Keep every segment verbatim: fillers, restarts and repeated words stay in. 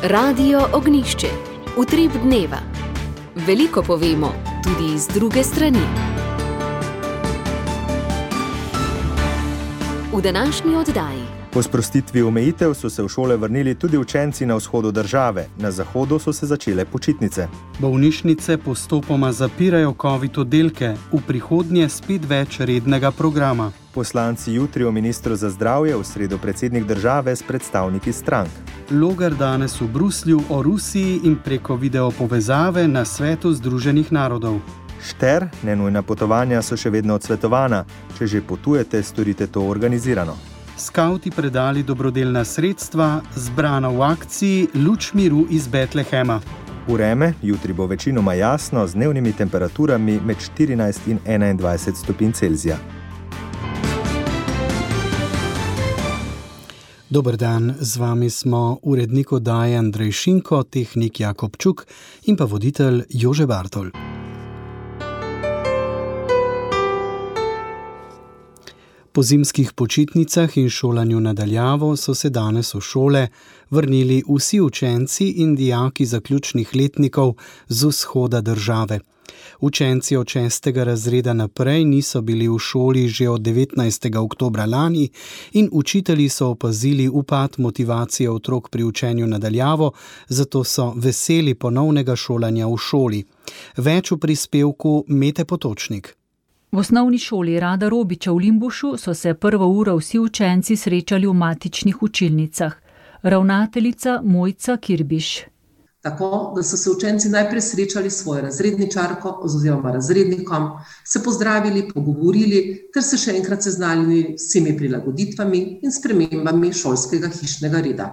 Radio Ognišče, utrip dneva. Veliko povemo, tudi iz druge strani. V današnji oddaji. Po sprostitvi omejitev so se v šole vrnili tudi učenci na vzhodu države. Na zahodu so se začele počitnice. Bolnišnice postopoma zapirajo covid oddelke, v prihodnje spet več rednega programa. Poslanci jutri o ministru za zdravje, v sredo predsednik države s predstavniki strank. Logar danes v Bruslju o Rusiji in preko videopovezave na svetu Združenih narodov. Šter, nenujna potovanja so še vedno odsvetovana. Če že potujete, storite to organizirano. Skauti predali dobrodelna sredstva, zbrana v akciji Luč miru iz Betlehema. Vreme, jutri bo večinoma jasno, z dnevnimi temperaturami med štirinajst in enaindvajset stopinj Celzija. Dober dan, z vami smo urednik oddaje Andrej Šinko, tehnik Jakob Čuk in pa voditelj Jože Bartol. Po zimskih počitnicah in šolanju na daljavo so se danes v šole vrnili vsi učenci in dijaki zaključnih letnikov z vzhoda države. Učenci od šestega razreda naprej niso bili v šoli že od devetnajstega oktobra lani in učitelji so opazili upad motivacije otrok pri učenju na daljavo, zato so veseli ponovnega šolanja v šoli. Več v prispevku Mete Potočnik. V osnovni šoli Rada Robiča v Limbušu so se prvo uro vsi učenci srečali v matičnih učilnicah. Ravnateljica Mojca Kirbiš. Tako, da so se učenci najprej srečali s svojo razredničarko oziroma razrednikom, se pozdravili, pogovorili ter se še enkrat seznanili s vsemi prilagoditvami in spremembami šolskega hišnega reda.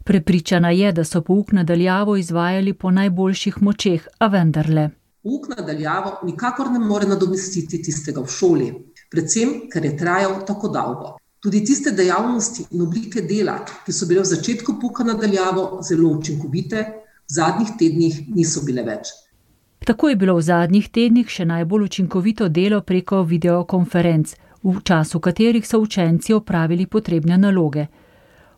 Prepričana je, da so pouk na daljavo izvajali po najboljših močeh, a vendarle. Pouk na daljavo nikakor ne more nadomestiti tistega v šoli, predvsem, ker je trajal tako dolgo. Tudi tiste dejavnosti in oblike dela, ki so bile v začetku pouka na daljavo zelo učinkovite, v zadnjih tednih niso bile več. Tako je bilo v zadnjih tednih še najbolj učinkovito delo preko videokonferenc, v času katerih so učenci opravili potrebne naloge.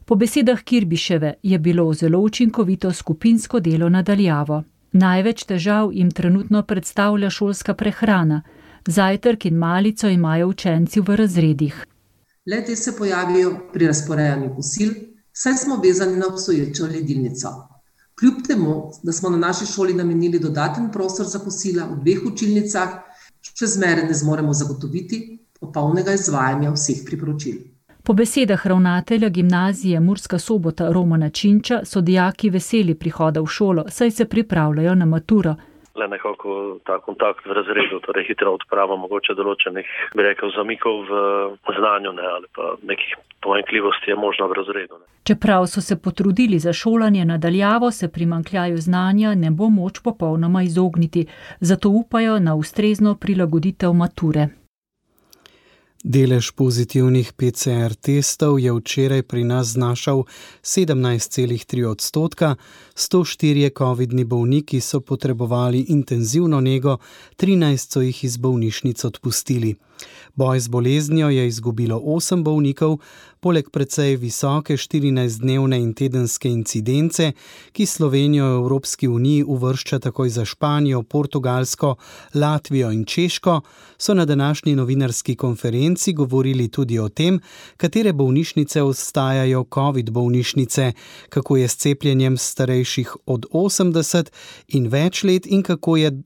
Po besedah Kirbiševe je bilo zelo učinkovito skupinsko delo na daljavo. Največ težav jim trenutno predstavlja šolska prehrana. Zajtrk in malico imajo učenci v razredih. Le-te se pojavijo pri razporejanju kosil, saj smo vezani na obstoječo ledilnico. Kljub temu, da smo na naši šoli namenili dodaten prostor za kosila v dveh učilnicah, še zmeraj ne zmoremo zagotoviti popolnega izvajanja vseh priporočil. Po besedah ravnatelja gimnazije Murska Sobota Romana Činča so dijaki veseli prihoda v šolo, saj se pripravljajo na maturo. Le nekako ta kontakt v razredu, torej hitro odprava mogoče določenih, bi rekel, zamikov v znanju, ne, ali pa nekih pomanjkljivosti je možno v razredu. Ne. Čeprav so se potrudili za šolanje na daljavo, se primanjkljaju znanja ne bo moč popolnoma izogniti, zato upajo na ustrezno prilagoditev mature. Delež pozitivnih P C R testov je včeraj pri nas znašal sedemnajst celih tri odstotka, sto štirje covidni bolniki so potrebovali intenzivno nego, trinajst so jih iz bolnišnic odpustili. Boj z boleznijo je izgubilo osem bolnikov, poleg precej visoke štirinajstdnevne in tedenske incidence, ki Slovenijo v Evropski uniji uvršča takoj za Španijo, Portugalsko, Latvijo in Češko, so na današnji novinarski konferenci govorili tudi o tem, katere bolnišnice ostajajo covid bolnišnice, kako je s cepljenjem starejših od osemdeset in več let in kako je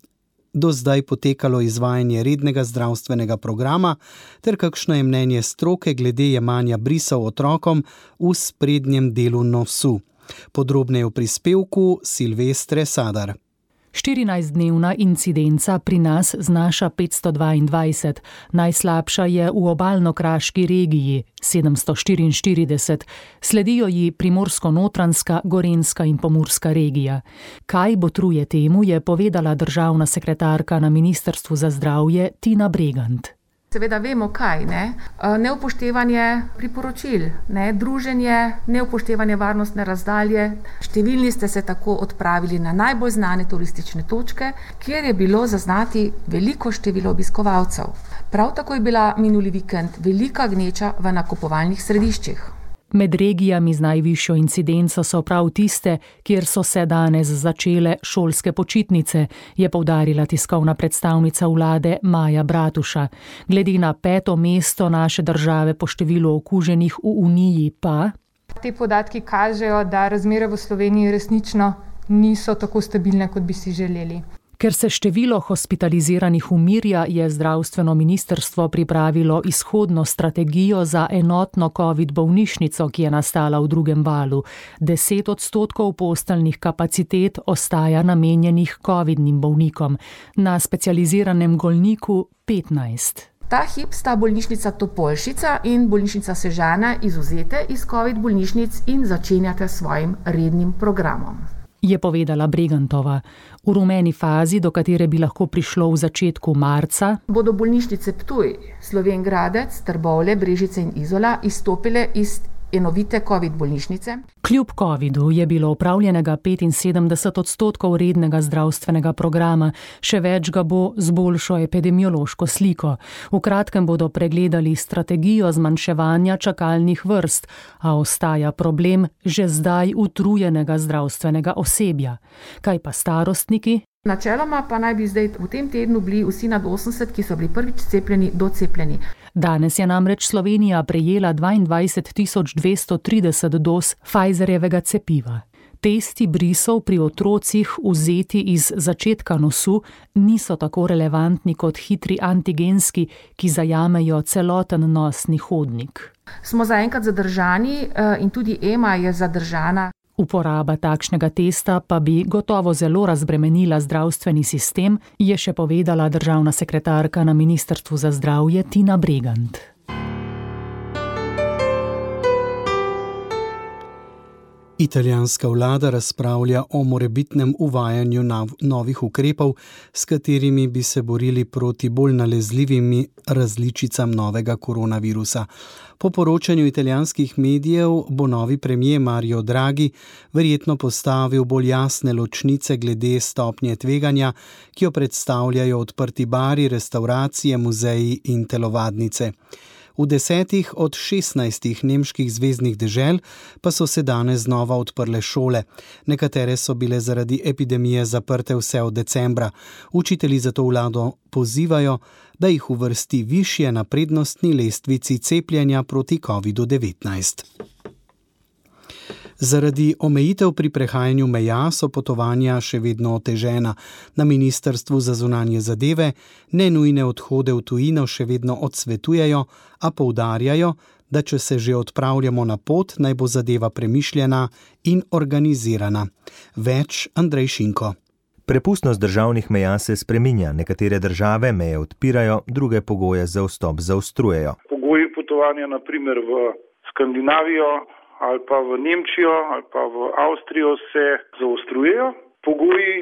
do zdaj potekalo izvajanje rednega zdravstvenega programa, ter kakšno je mnenje stroke glede jemanja brisov otrokom v sprednjem delu nosu. Podrobneje v prispevku Silvestre Sadar. štirinajstdnevna incidenca pri nas znaša petsto dvaindvajset, najslabša je v obalno-kraški regiji sedemsto štiriinštirideset, sledijo ji Primorsko-Notranjska, Gorenjska in Pomurska regija. Kaj botruje temu, je povedala državna sekretarka na Ministrstvu za zdravje Tina Bregant. Seveda vemo kaj, ne? Neupoštevanje priporočil, ne? Druženje, neupoštevanje varnostne razdalje. Številni ste se tako odpravili na najbolj znane turistične točke, kjer je bilo zaznati veliko število obiskovalcev. Prav tako je bila minuli vikend velika gneča v nakupovalnih središčih. Med regijami z najvišjo incidenco so prav tiste, kjer so se danes začele šolske počitnice, je poudarila tiskovna predstavnica vlade Maja Bratuša. Glede na peto mesto naše države po številu okuženih v Uniji pa... Te podatki kažejo, da razmere v Sloveniji resnično niso tako stabilne, kot bi si želeli. Ker se število hospitaliziranih umirja, je zdravstveno ministrstvo pripravilo izhodno strategijo za enotno covid bolnišnico, ki je nastala v drugem valu. Deset odstotkov posteljnih kapacitet ostaja namenjenih covidnim bolnikom, na specializiranem Golniku petnajst. Ta hip sta bolnišnica Topolšica in bolnišnica Sežana izvzete iz covid bolnišnic in začenjate s svojim rednim programom, je povedala Bregantova. V rumeni fazi, do katere bi lahko prišlo v začetku marca, bodo bolnišnice Ptuj, Slovenj Gradec, Trbovlje, Brežice in Izola izstopile iz enovite covid bolnišnice. Kljub covidu je bilo opravljenega petinsedemdeset odstotkov rednega zdravstvenega programa, še več ga bo z boljšo epidemiološko sliko. V kratkem bodo pregledali strategijo zmanjševanja čakalnih vrst, a ostaja problem že zdaj utrujenega zdravstvenega osebja. Kaj pa starostniki? Načeloma pa naj bi zdaj v tem tednu bili vsi nad osemdeset, ki so bili prvič cepljeni, docepljeni. Danes je namreč Slovenija prejela dvaindvajset tisoč dvesto trideset doz Pfizerjevega cepiva. Testi brisov pri otrocih vzeti iz začetka nosu niso tako relevantni kot hitri antigenski, ki zajamejo celoten nosni hodnik. Smo zaenkrat zadržani in tudi E M A je zadržana. Uporaba takšnega testa pa bi gotovo zelo razbremenila zdravstveni sistem, je še povedala državna sekretarka na Ministrstvu za zdravje Tina Bregant. Italijanska vlada razpravlja o morebitnem uvajanju novih ukrepov, s katerimi bi se borili proti bolj nalezljivim različicam novega koronavirusa. Po poročanju italijanskih medijev bo novi premier Mario Draghi verjetno postavil bolj jasne ločnice glede stopnje tveganja, ki jo predstavljajo odprti bari, restavracije, muzeji in telovadnice. V desetih od šestnajstih nemških zveznih dežel pa so se danes znova odprle šole. Nekatere so bile zaradi epidemije zaprte vse od decembra. Učitelji zato vlado pozivajo, da jih uvrsti višje na prednostni lestvici cepljenja proti kovidu devetnajst. Zaradi omejitev pri prehajanju meja so potovanja še vedno otežena. Na Ministrstvu za zunanje zadeve nenujne odhode v tujino še vedno odsvetujejo, a poudarjajo, da če se že odpravljamo na pot, naj bo zadeva premišljena in organizirana. Več Andrej Šinko. Prepustnost državnih meja se spreminja. Nekatere države meje odpirajo, druge pogoje za vstop zaostrujejo. Pogoji potovanja na primer v Skandinavijo ali pa v Nemčijo ali pa v Avstrijo se zaostrujejo. Pogoji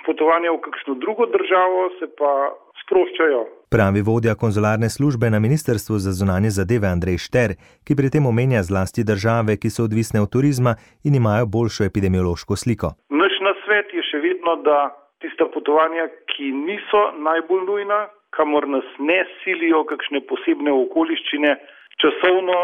potovanja v kakšno drugo državo se pa sproščajo. Pravi vodja konzularne službe na Ministrstvu za zunanje zadeve Andrej Šter, ki pri tem omenja zlasti države, ki so odvisne od turizma in imajo boljšo epidemiološko sliko. Naš nasvet je še vedno, da tista potovanja, ki niso najbolj nujna, kamor nas ne silijo kakšne posebne okoliščine, časovno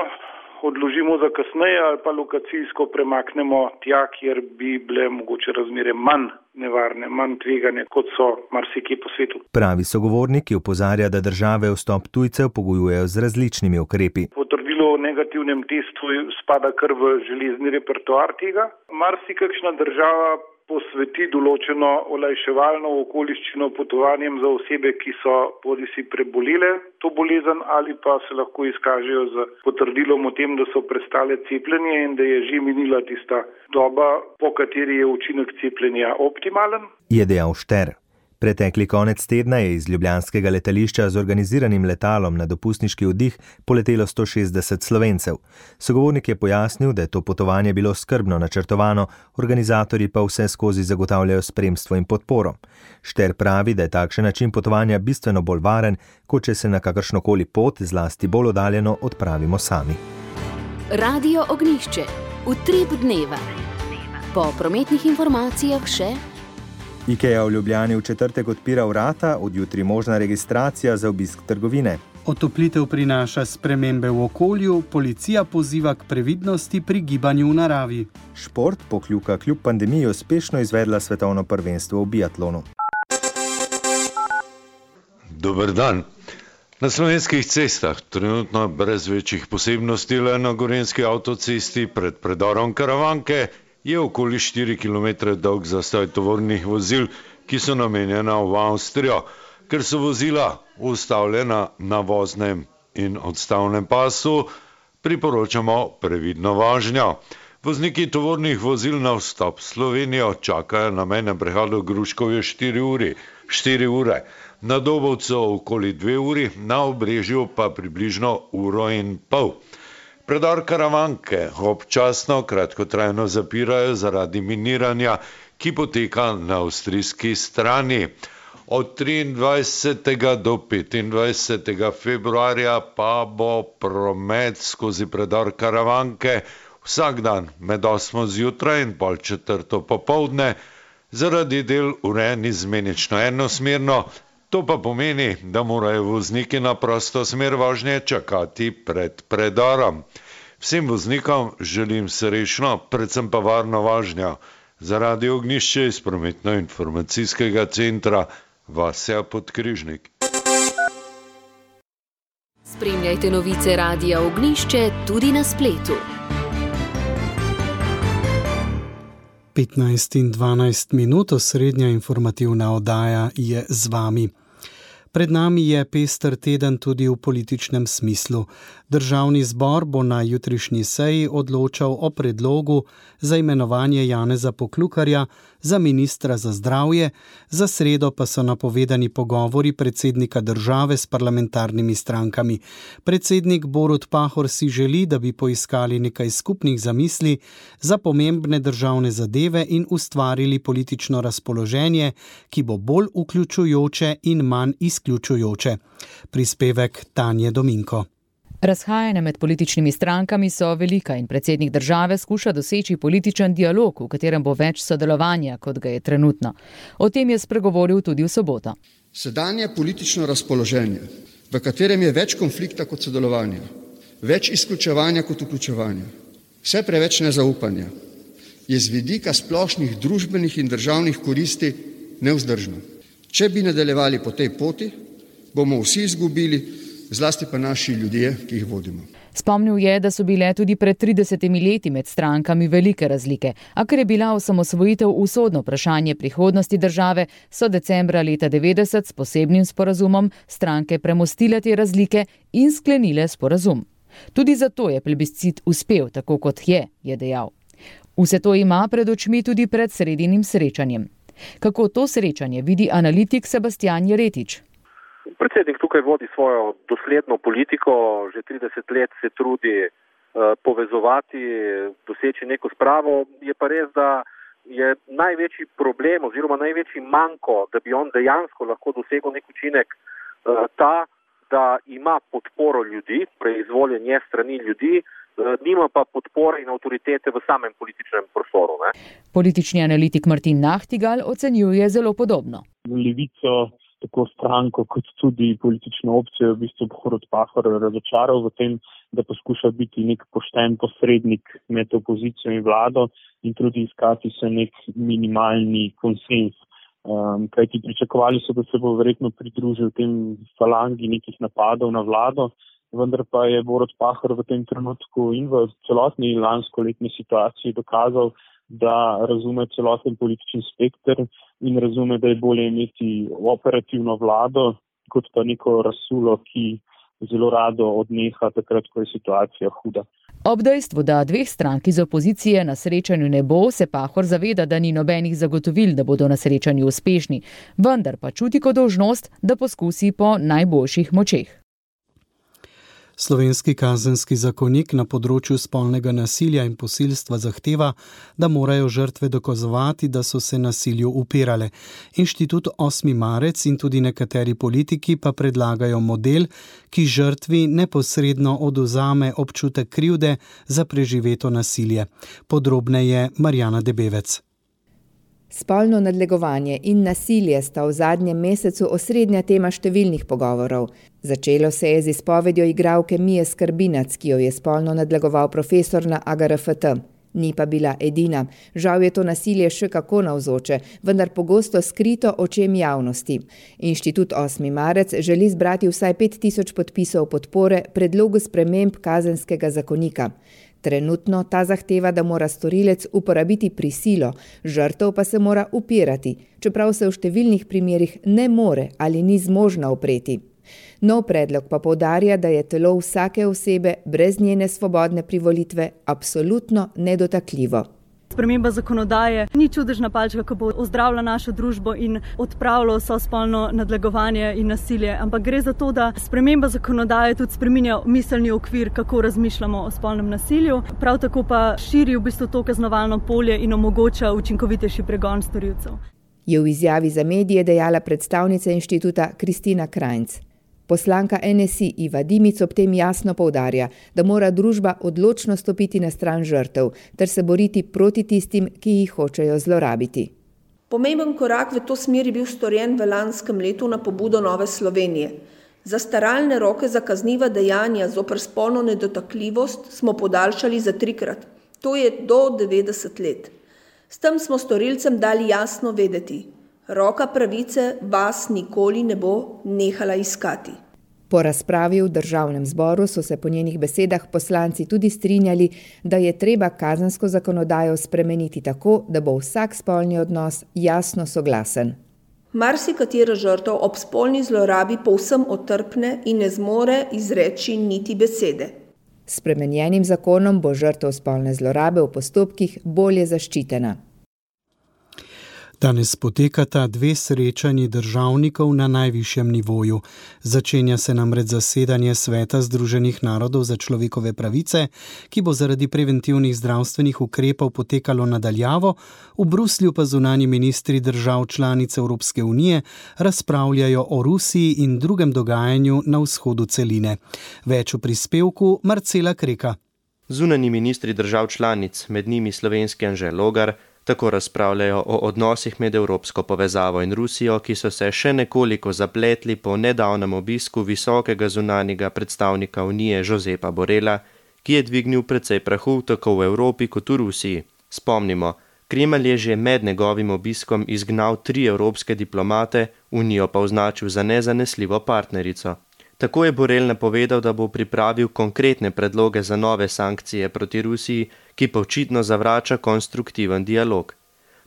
odložimo za kasneje ali pa lokacijsko premaknemo tja, kjer bi bile mogoče razmere manj nevarne, manj tvegane, kot so marsikje po svetu. Pravi sogovornik opozarja, da države vstop tujcev pogojujejo z različnimi ukrepi. Potrdilo o negativnem testu spada kar v železni repertoar tega. Marsikakšna država posveti določeno olajševalno okoliščino potovanjem za osebe, ki so bodisi prebolele to bolezen ali pa se lahko izkažejo z potrdilom o tem, da so prestale cepljenje in da je že minila tista doba, po kateri je učinek cepljenja optimalen. Je dejal Šter. Pretekli konec tedna je iz ljubljanskega letališča z organiziranim letalom na dopustniški oddih poletelo sto šestdeset Slovencev. Sogovornik je pojasnil, da je to potovanje bilo skrbno načrtovano, organizatorji pa vse skozi zagotavljajo spremstvo in podporo. Šter pravi, da je takšen način potovanja bistveno bolj varen, kot če se na kakršnokoli pot, zlasti bolj oddaljeno, odpravimo sami. Radio Ognjišče. Utrip dneva. Po prometnih informacijah še... IKEA v Ljubljani v četrtek odpira vrata, od jutri možna registracija za obisk trgovine. Otoplitev prinaša spremembe v okolju, policija poziva k previdnosti pri gibanju v naravi. Šport pokljuka kljub pandemiji uspešno izvedla svetovno prvenstvo v biatlonu. Dober dan. Na slovenskih cestah, trenutno brez večjih posebnosti le na gorenjski avtocesti pred predorom Karavanke, je okoli štiri kilometre dolg zastoj tovornih vozil, ki so namenjena v Avstrijo. Ker so vozila ustavljena na voznem in odstavnem pasu, priporočamo previdno vožnjo. Vozniki tovornih vozil na vstop v Slovenijo čakajo na mejnem prehodu Gruškovje štiri uri, štiri ure, na Dobovcu okoli dve uri, na Obrežju pa približno uro in pol. Predor Karavanke občasno kratkotrajno zapirajo zaradi miniranja, ki poteka na avstrijski strani. Od triindvajsetega do petindvajsetega februarja pa bo promet skozi predor Karavanke vsak dan med osmo zjutraj in pol četrto popoldne zaradi del urejen izmenično enosmerno. To pa pomeni, da morajo vozniki na prosto smer vožnje čakati pred predorom. Vsem voznikom želim srečno, predvsem pa varno vožnjo. Za Radio Ognjišče iz prometno-informacijskega centra Vasja Podkrižnik. Spremljajte novice Radia Ognjišče tudi na spletu. petnajst in dvanajst minut, osrednja informativna oddaja je z vami. Pred nami je pester teden tudi v političnem smislu. Državni zbor bo na jutrišnji seji odločal o predlogu za imenovanje Janeza Poklukarja za ministra za zdravje, za sredo pa so napovedani pogovori predsednika države s parlamentarnimi strankami. Predsednik Borut Pahor si želi, da bi poiskali nekaj skupnih zamisli za pomembne državne zadeve in ustvarili politično razpoloženje, ki bo bolj vključujoče in manj izključujoče. Prispevek Tanje Dominko. Razhajanja med političnimi strankami so velika in predsednik države skuša doseči političen dialog, v katerem bo več sodelovanja, kot ga je trenutno. O tem je spregovoril tudi v soboto. Sedanje politično razpoloženje, v katerem je več konflikta kot sodelovanja, več izključevanja kot vključevanja, vse preveč nezaupanja, je z vidika splošnih družbenih in državnih koristi nevzdržno. Če bi nadaljevali po tej poti, bomo vsi izgubili, zlasti pa naši ljudje, ki jih vodimo. Spomnil je, da so bile tudi pred tridesetimi leti med strankami velike razlike, a ker je bila osamosvojitev usodno vprašanje prihodnosti države, so decembra leta devetdeset s posebnim sporazumom stranke premostile te razlike in sklenile sporazum. Tudi zato je plebiscit uspel, tako kot je, je dejal. Vse to ima pred očmi tudi pred sredinim srečanjem. Kako to srečanje vidi analitik Sebastian Jeretič? Predsednik tukaj vodi svojo dosledno politiko, že trideset let se trudi uh, povezovati, doseči neko spravo. Je pa res, da je največji problem oziroma največji manko, da bi on dejansko lahko dosegel nek učinek, uh, ta, da ima podporo ljudi, preizvoljenje strani ljudi, uh, nima pa podpore in avtoritete v samem političnem prostoru. Ne? Politični analitik Martin Nahtigal ocenjuje zelo podobno. Levico, tako stranko kot tudi politično opcijo, v bistvu Borut Pahor razočaral v tem, da poskuša biti nek pošten posrednik med opozicijo in vlado in tudi iskati se nek minimalni konsens. Um, kajti pričakovali so, da se bo verjetno pridružil tem falangi nekih napadov na vlado, vendar pa je Borut Pahor v tem trenutku in v celotni lanskoletni situaciji dokazal, da razume celoten politični spekter in razume, da je bolje imeti operativno vlado, kot pa neko razsulo, ki zelo rado odneha takrat, ko je situacija huda. Ob dejstvu, da dveh strank iz opozicije na srečanju ne bo, se Pahor zaveda, da ni nobenih zagotovil, da bodo na srečanju uspešni, vendar pa čuti kot dolžnost, da poskusi po najboljših močeh. Slovenski kazenski zakonik na področju spolnega nasilja in posilstva zahteva, da morajo žrtve dokazovati, da so se nasilju upirale. Inštitut osmi marec in tudi nekateri politiki pa predlagajo model, ki žrtvi neposredno odvzame občutek krivde za preživeto nasilje. Podrobneje Marjana Debevec. Spolno nadlegovanje in nasilje sta v zadnjem mesecu osrednja tema številnih pogovorov. Začelo se je z izpovedjo igralke Mije Skrbinac, ki jo je spolno nadlegoval profesor na A G R F T. Ni pa bila edina. Žal je to nasilje še kako navzoče, vendar pogosto skrito očem javnosti. Inštitut osmi marec želi zbrati vsaj pet tisoč podpisov podpore predlogu sprememb kazenskega zakonika. Trenutno ta zahteva, da mora storilec uporabiti prisilo, žrtev pa se mora upirati, čeprav se v številnih primerih ne more ali ni zmožna upreti. Nov predlog pa poudarja, da je telo vsake osebe brez njene svobodne privolitve absolutno nedotakljivo. Sprememba zakonodaje ni čudežna palčka, ko bo ozdravila našo družbo in odpravila vso spolno nadlegovanje in nasilje, ampak gre za to, da sprememba zakonodaje tudi spreminja miselni okvir, kako razmišljamo o spolnem nasilju, prav tako pa širi v bistvu to kaznovalno polje in omogoča učinkovitejši pregon storilcev. Je v izjavi za medije dejala predstavnica inštituta Kristina Krajnc. Poslanka N S I Iva Dimic ob tem jasno poudarja, da mora družba odločno stopiti na stran žrtev ter se boriti proti tistim, ki jih hočejo zlorabiti. Pomemben korak v to smer je bil storjen v lanskem letu na pobudo Nove Slovenije. Zastaralne roke za kazniva dejanja zoper spolno nedotakljivost smo podaljšali za trikrat. To je do devetdeset let. S tem smo storilcem dali jasno vedeti: roka pravice vas nikoli ne bo nehala iskati. Po razpravi v državnem zboru so se po njenih besedah poslanci tudi strinjali, da je treba kazensko zakonodajo spremeniti tako, da bo vsak spolni odnos jasno soglasen. Marsikatera žrtev ob spolni zlorabi povsem otrpne in ne zmore izreči niti besede. S spremenjenim zakonom bo žrtev spolne zlorabe v postopkih bolje zaščitena. Danes potekata dve srečanji državnikov na najvišjem nivoju. Začenja se namreč zasedanje Sveta Združenih narodov za človekove pravice, ki bo zaradi preventivnih zdravstvenih ukrepov potekalo nadaljavo, v Bruslju pa zunanji ministri držav članic Evropske unije razpravljajo o Rusiji in drugem dogajanju na vzhodu celine. Več v prispevku Marcela Kreka. Zunanji ministri držav članic, med njimi slovenski Anže Logar, tako razpravljajo o odnosih med evropsko povezavo in Rusijo, ki so se še nekoliko zapletli po nedavnem obisku visokega zunanjega predstavnika Unije Josepa Borrella, ki je dvignil precej prahu tako v Evropi kot v Rusiji. Spomnimo, Kremelj je že med njegovim obiskom izgnal tri evropske diplomate, Unijo pa označil za nezanesljivo partnerico. Tako je Borrell napovedal, da bo pripravil konkretne predloge za nove sankcije proti Rusiji, ki pa očitno zavrača konstruktiven dialog.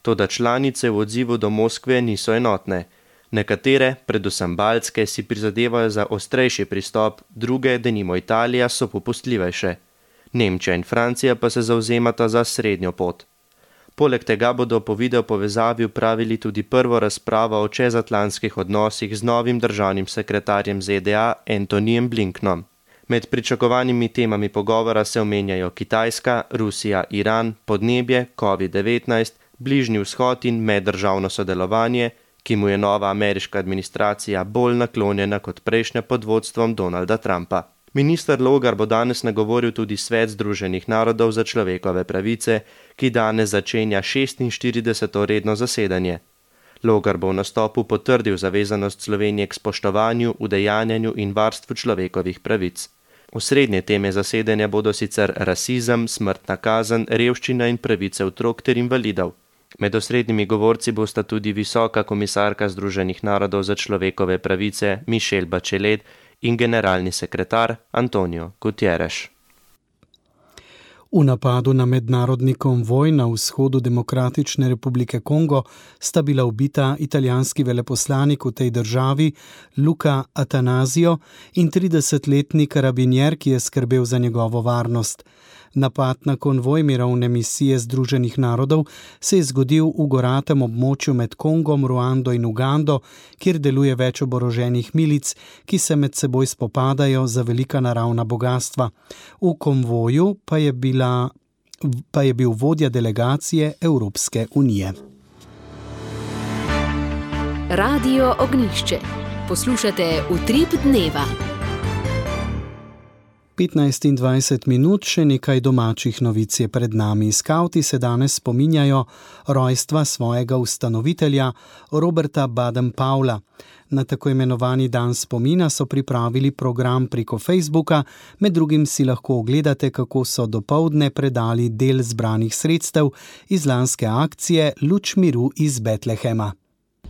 Toda članice v odzivu do Moskve niso enotne. Nekatere, predvsem baltske, si prizadevajo za ostrejši pristop, druge, denimo Italija, so popustljivejše. Nemčija in Francija pa se zavzemata za srednjo pot. Poleg tega bodo po video povezavi upravili tudi prvo razpravo o čezatlantskih odnosih z novim državnim sekretarjem Z D A Antonyjem Blinkenom. Med pričakovanimi temami pogovora se omenjajo Kitajska, Rusija, Iran, podnebje, covid devetnajst, Bližnji vzhod in meddržavno sodelovanje, ki mu je nova ameriška administracija bolj naklonjena kot prejšnja pod vodstvom Donalda Trumpa. Minister Logar bo danes nagovoril tudi Svet Združenih narodov za človekove pravice, ki danes začenja šestinštirideseto redno zasedanje. Logar bo v nastopu potrdil zavezanost Slovenije k spoštovanju, udejanjanju in varstvu človekovih pravic. Osrednje teme zasedanja bodo sicer rasizem, smrtna kazen, revščina in pravice otrok ter invalidov. Med osrednjimi govorci bosta tudi visoka komisarka Združenih narodov za človekove pravice Michelle Bachelet in generalni sekretar Antonio Guterres. V napadu na mednarodni konvoj na vzhodu Demokratične republike Kongo sta bila ubita italijanski veleposlanik v tej državi Luca Attanasio in tridesetletni karabinjer, ki je skrbel za njegovo varnost. Napad na konvoj mirovne misije Združenih narodov se je zgodil v goratem območju med Kongom, Ruando in Ugando, kjer deluje več oboroženih milic, ki se med seboj spopadajo za velika naravna bogastva. V konvoju pa je, bila, pa je bil vodja delegacije Evropske unije. Radio Ognjišče. Poslušate Utrip dneva. petnajst in dvajset minut, še nekaj domačih novic je pred nami. Skavti se danes spominjajo rojstva svojega ustanovitelja Roberta Baden-Powella. Na tako imenovani dan spomina so pripravili program preko Facebooka, med drugim si lahko ogledate, kako so dopoldne predali del zbranih sredstev iz lanske akcije Luč miru iz Betlehema.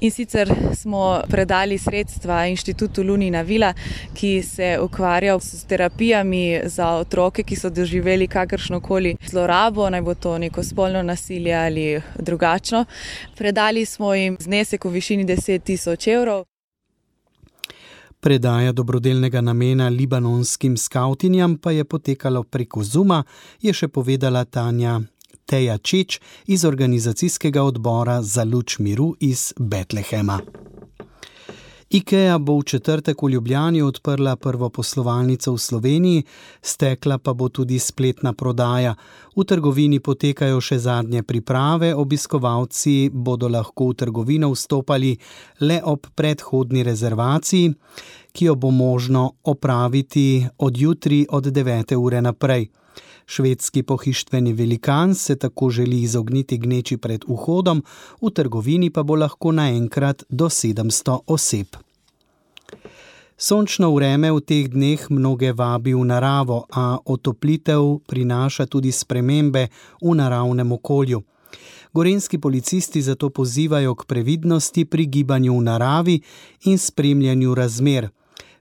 In sicer smo predali sredstva inštitutu Lunina vila, ki se ukvarja s terapijami za otroke, ki so doživeli kakršnokoli zlorabo, naj bo to neko spolno nasilje ali drugačno. Predali smo jim znesek v višini deset tisoč evrov. Predaja dobrodelnega namena libanonskim skavtinjam pa je potekalo preko Zooma, je še povedala Tanja Teja Čeč iz organizacijskega odbora za Luč miru iz Betlehema. IKEA bo v četrtek v Ljubljani odprla prvo poslovalnico v Sloveniji, stekla pa bo tudi spletna prodaja. V trgovini potekajo še zadnje priprave, obiskovalci bodo lahko v trgovino vstopali le ob predhodni rezervaciji, ki jo bo možno opraviti od jutri od devete ure naprej. Švedski pohištveni velikan se tako želi izogniti gneči pred vhodom, v trgovini pa bo lahko naenkrat do sedemsto oseb. Sončno vreme v teh dneh mnoge vabi v naravo, a otoplitev prinaša tudi spremembe v naravnem okolju. Gorenjski policisti zato pozivajo k previdnosti pri gibanju v naravi in spremljanju razmer.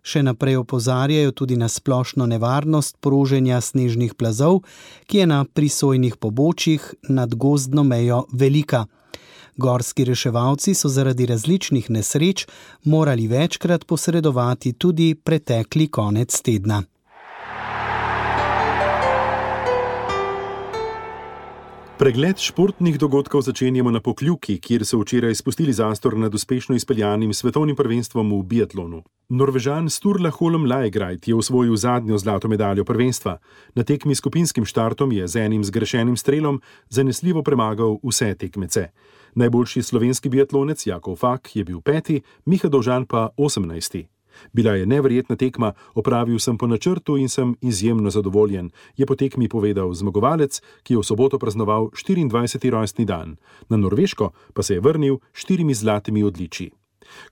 Še naprej opozarjajo tudi na splošno nevarnost proženja snežnih plazov, ki je na prisojnih pobočjih nad gozdno mejo velika. Gorski reševalci so zaradi različnih nesreč morali večkrat posredovati tudi pretekli konec tedna. Pregled športnih dogodkov začenjamo na Pokljuki, kjer so včeraj spustili zastor nad uspešno izpeljanim svetovnim prvenstvom v biatlonu. Norvežan Sturla Holm Laegreit je osvojil zadnjo zlato medaljo prvenstva. Na tekmi s skupinskim štartom je z enim zgrešenim strelom zanesljivo premagal vse tekmece. Najboljši slovenski biatlonec Jakov Fak je bil peti, Miha Dovžan pa osemnajsti. Bila je neverjetna tekma, opravil sem po načrtu in sem izjemno zadovoljen, je po tekmi povedal zmagovalec, ki je v soboto praznoval štiriindvajseti rojstni dan. Na Norveško pa se je vrnil s štirimi zlatimi odličji.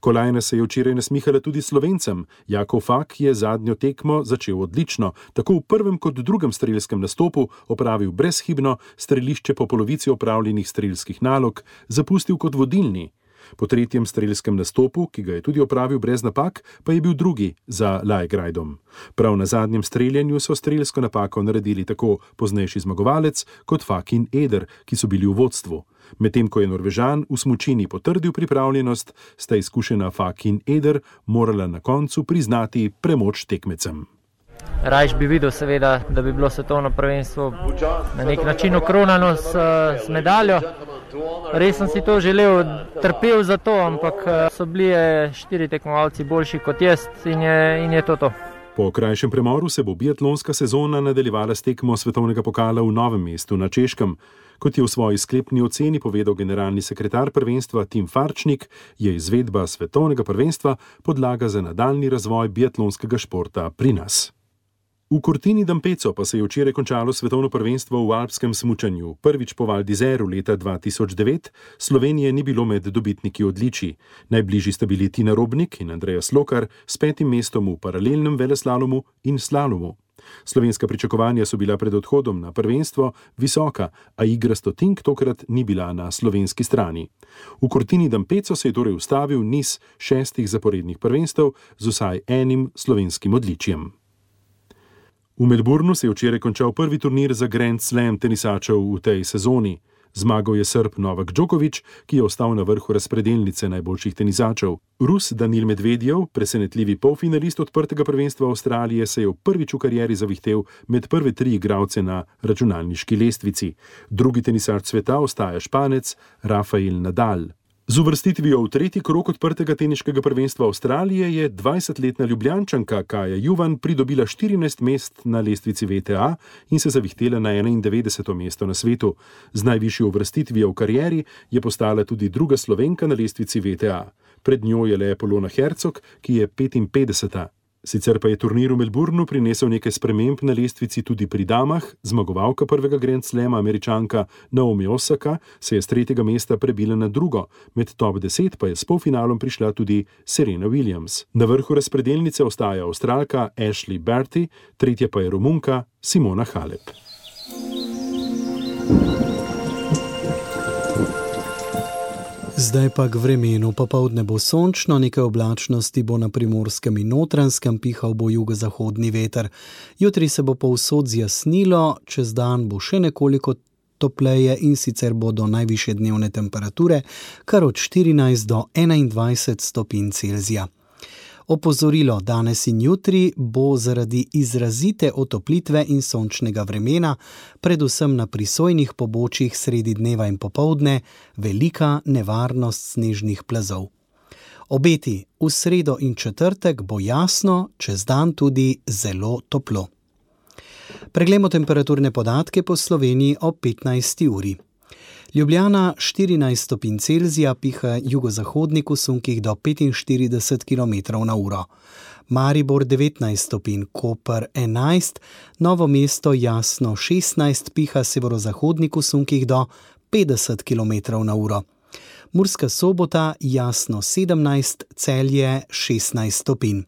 Kolajna se je včeraj nasmihala tudi Slovencem. Jakov Fak je zadnjo tekmo začel odlično, tako v prvem kot drugem strelskem nastopu opravil brezhibno, strelišče po polovici opravljenih strelskih nalog zapustil kot vodilni. Po tretjem strelskem nastopu, ki ga je tudi opravil brez napak, pa je bil drugi za Laegreidom. Prav na zadnjem streljanju so strelsko napako naredili tako poznejši zmagovalec kot Fak in Eder, ki so bili v vodstvu. Medtem ko je Norvežan v smučini potrdil pripravljenost, sta izkušena Fak in Eder morala na koncu priznati premoč tekmecem. Rajš bi videl seveda, da bi bilo svetovno prvenstvo na nek način okronano s, s medaljo. Res sem si to želel, trpel za to, ampak so bili štiri tekmovalci boljši kot jaz in je, in je to to. Po krajšem premoru se bo biatlonska sezona nadaljevala s tekmo svetovnega pokala v Novem mestu na Češkem. Kot je v svoji sklepni oceni povedal generalni sekretar prvenstva Tim Farčnik, je izvedba svetovnega prvenstva podlaga za nadaljni razvoj biatlonskega športa pri nas. V Cortini d'Ampezzo pa se je včeraj končalo svetovno prvenstvo v alpskem smučanju. Prvič po Val d'Izeru leta dva tisoč devet Slovenije ni bilo med dobitniki odličij. Najbližji sta bili Tina Robnik in Andreja Slokar s petim mestom v paralelnem veleslalomu in slalomu. Slovenska pričakovanja so bila pred odhodom na prvenstvo visoka, a igra stotink tokrat ni bila na slovenski strani. V Cortini d'Ampezzo se je torej ustavil niz šestih zaporednih prvenstev z vsaj enim slovenskim odličjem. V Melbournu se je včeraj končal prvi turnir za Grand Slam tenisačev v tej sezoni. Zmagal je Srb Novak Djokovic, ki je ostal na vrhu razpredelnice najboljših tenisačev. Rus Danil Medvedjev, presenetljivi polfinalist odprtega prvenstva Avstralije, se je v prvič v karieri zavihtel med prve tri igralce na računalniški lestvici. Drugi tenisač sveta ostaja Španec Rafael Nadal. Z uvrstitvijo v tretji krog odprtega teniškega prvenstva Avstralije je dvajsetletna Ljubljančanka Kaja Juvan pridobila štirinajst mest na lestvici V T A in se zavihtela na enaindevetdeseto mesto na svetu. Z najvišjo uvrstitvijo v karieri je postala tudi druga Slovenka na lestvici V T A. Pred njo je le Polona Hercog, ki je petinpetdeseta. Sicer pa je turnir v Melbournu prinesel nekaj sprememb na lestvici tudi pri damah. Zmagovalka prvega Grand Slama, Američanka Naomi Osaka, se je s tretjega mesta prebila na drugo, med top deset pa je s polfinalom prišla tudi Serena Williams. Na vrhu razpredelnice ostaja Avstralka Ashley Barty, tretja pa je Romunka Simona Halep. Zdaj pa k vremenu. Popoldne bo sončno, nekaj oblačnosti bo na Primorskem in Notranjskem, pihal bo jugozahodni veter. Jutri se bo povsod zjasnilo, čez dan bo še nekoliko topleje in sicer bodo najvišje dnevne temperature kar od štirinajst do enaindvajset stopinj Celzija. Opozorilo, danes in jutri bo zaradi izrazite otoplitve in sončnega vremena, predvsem na prisojnih pobočjih sredi dneva in popoldne, velika nevarnost snežnih plazov. Obeti, v sredo in četrtek bo jasno, čez dan tudi zelo toplo. Preglejmo temperaturne podatke po Sloveniji ob petnajsti uri. Ljubljana štirinajst stopinj Celzija, piha jugozahodnik v sunkih do petinštirideset kilometrov na uro. Maribor devetnajst stopinj, Koper enajst, Novo mesto jasno šestnajst, piha severozahodnik v sunkih do petdeset kilometrov na uro. Murska Sobota jasno sedemnajst, Celje šestnajst stopinj.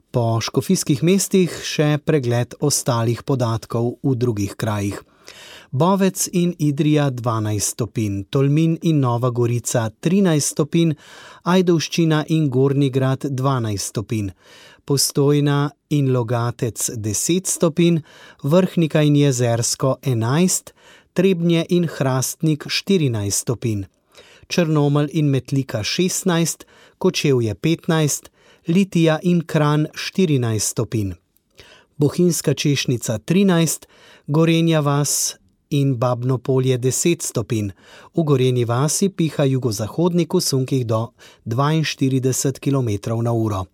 Po škofijskih mestih še pregled ostalih podatkov v drugih krajih. Bovec in Idrija dvanajst stopinj, Tolmin in Nova Gorica trinajst stopinj, Ajdovščina in Gornji Grad dvanajst stopinj, Postojna in Logatec deset stopinj, Vrhnika in Jezersko enajst, Trebnje in Hrastnik štirinajst stopinj, Črnomelj in Metlika šestnajst, Kočevje petnajst, Litija in Kranj štirinajst stopinj, Bohinjska Češnica trinajst, Gorenja vas in Babno Polje deset stopinj. V Gorenji vasi piha jugozahodnik v sunkih do dvainštirideset kilometrov na uro.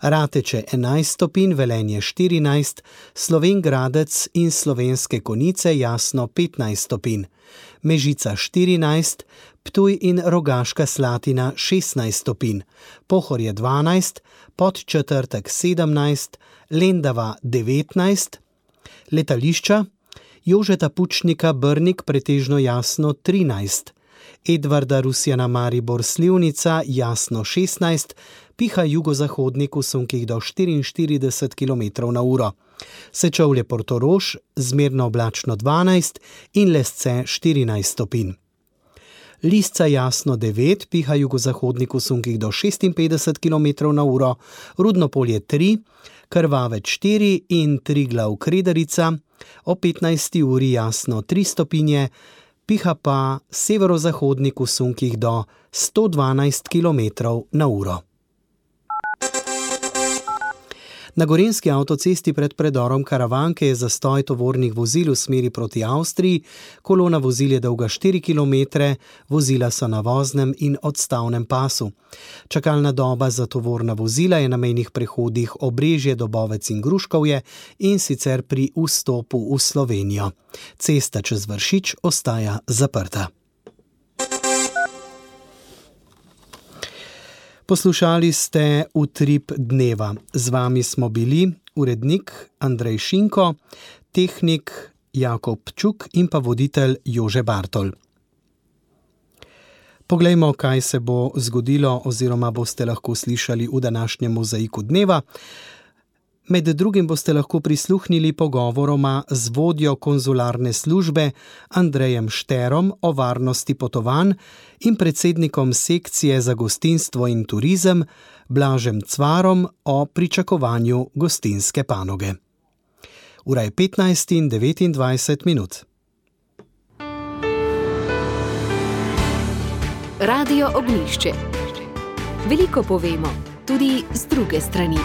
Rateče enajst stopinj, Velenje štirinajst, Slovenj Gradec in Slovenske Konjice jasno petnajst stopinj, Mežica štirinajst, Ptuj in Rogaška Slatina šestnajst stopinj, Pohorje dvanajst, Podčetrtek sedemnajst, Lendava devetnajst, letališča Jožeta Pučnika Brnik pretežno jasno trinajst, Edvarda Rusjana Maribor Slivnica jasno šestnajst, piha jugozahodnik v sunkih do štiriinštirideset kilometrov na uro. Sečovlje Portorož zmerno oblačno dvanajst in Lesce štirinajst stopinj. Lisca jasno devet, piha jugozahodnik v sunkih do šestinpetdeset kilometrov na uro, Rudno Polje tri, Krvavec štiri in Triglav Kredarica, o petnajsti uri jasno tri stopinje, piha pa severozahodnik v sunkih do sto dvanajst kilometrov na uro. Na gorenjski avtocesti pred predorom Karavanke je zastoj tovornih vozil v smeri proti Avstriji, kolona vozil je dolga štiri kilometre, vozila so na voznem in odstavnem pasu. Čakalna doba za tovorna vozila je na mejnih prehodih Obrežje, Dobovec in Gruškovje in sicer pri vstopu v Slovenijo. Cesta čez Vršič ostaja zaprta. Poslušali ste Utrip dneva. Z vami smo bili urednik Andrej Šinko, tehnik Jakob Čuk in pa voditelj Jože Bartol. Poglejmo, kaj se bo zgodilo oziroma boste lahko slišali v današnjem mozaiku dneva. Med drugim boste lahko prisluhnili pogovoroma z vodjo konzularne službe Andrejem Šterom o varnosti potovanj in predsednikom sekcije za gostinstvo in turizem Blažem Cvarom o pričakovanju gostinske panoge. Ura je petnajst in devetindvajset minut. Radio Ognjišče. Veliko povemo, tudi z druge strani.